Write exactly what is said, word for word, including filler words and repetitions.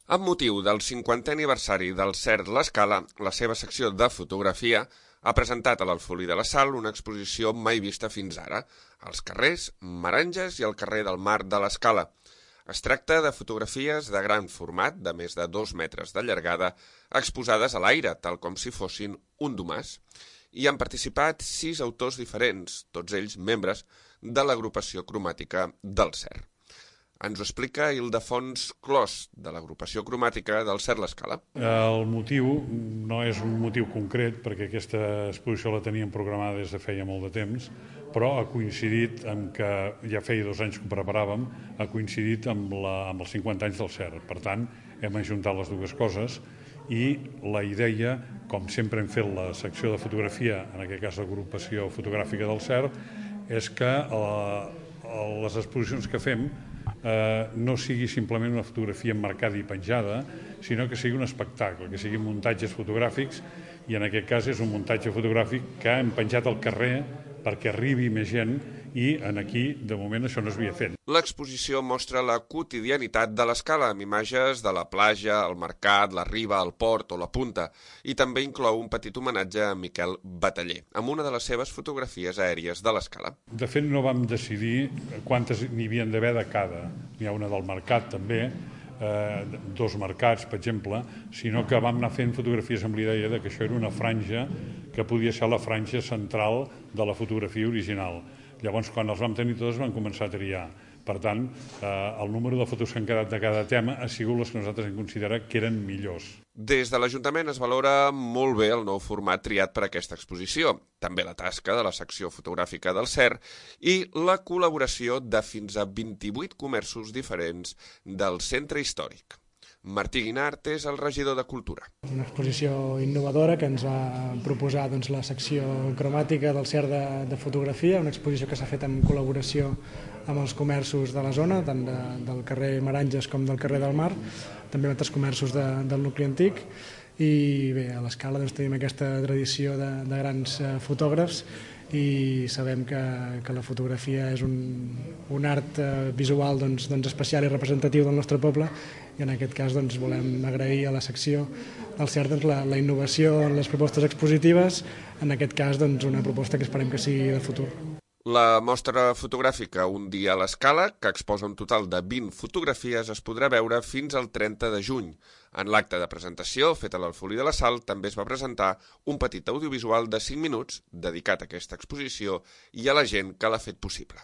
Amb motiu del cinquantè aniversari del CERT L'Escala, la seva secció de fotografia ha presentat a l'Alfolí de la Sal una exposició mai vista fins ara, als carrers Meranges i al carrer del Mar de l'Escala. Es tracta de fotografies de gran format, de més de dos metres de llargada, exposades a l'aire, tal com si fossin un domàs. Hi han participat sis autors diferents, tots ells membres de l'agrupació cromàtica del CERT. Ens ho explica Ildefons Clos, de l'agrupació cromàtica del CERT L'Escala. El motiu no és un motiu concret, perquè aquesta exposició la teníem programada des de feia molt de temps, però ha coincidit amb que ja feia dos anys que ho preparàvem, ha coincidit amb, la, amb els cinquanta anys del CERT. Per tant, hem ajuntat les dues coses i la idea, com sempre hem fet la secció de fotografia, en aquest cas l'agrupació fotogràfica del CERT, és que eh, les exposicions que fem Eh, no sigui simplement una fotografia emmarcada i penjada, sinó que sigui un espectacle, que siguin muntatges fotogràfics, i en aquest cas és un muntatge fotogràfic que hem penjat al carrer perquè arribi més gent, i en aquí, de moment, això no s'havia fet. L'exposició mostra la quotidianitat de l'Escala, amb imatges de la platja, el mercat, la riba, el port o la punta, i també inclou un petit homenatge a Miquel Bataller, amb una de les seves fotografies aèries de l'Escala. De fet, no vam decidir quantes n'hi havien d'haver de cada. N'hi ha una del mercat, també, eh, dos mercats, per exemple, sinó que vam anar fent fotografies amb l'idea de que això era una franja que podia ser la franja central de la fotografia original. Llavors, quan els vam tenir totes, vam començar a triar. Per tant, eh, el número de fotos que han quedat de cada tema ha sigut les que nosaltres hem considerat que eren millors. Des de l'Ajuntament es valora molt bé el nou format triat per a aquesta exposició, també la tasca de la secció fotogràfica del CERT i la col·laboració de fins a vint-i-vuit comerços diferents del centre històric. Martí Guinart és el regidor de Cultura. Una exposició innovadora que ens va proposar doncs, la secció cromàtica del CERT de, de fotografia, una exposició que s'ha fet en col·laboració amb els comerços de la zona, tant de, del carrer Meranges com del carrer del Mar, també altres comerços de, del nucli antic, i bé, a l'Escala doncs, tenim aquesta tradició de, de grans eh, fotògrafs i sabem que, que la fotografia és un, un art eh, visual doncs, doncs especial i representatiu del nostre poble, i en aquest cas doncs, volem agrair a la secció del CERT doncs, la, la innovació en les propostes expositives, en aquest cas doncs, una proposta que esperem que sigui de futur. La mostra fotogràfica Un dia a l'Escala, que exposa un total de vint fotografies, es podrà veure fins al trenta de juny. En l'acte de presentació, fet a l'Alfolí de la Sal, també es va presentar un petit audiovisual de cinc minuts dedicat a aquesta exposició i a la gent que l'ha fet possible.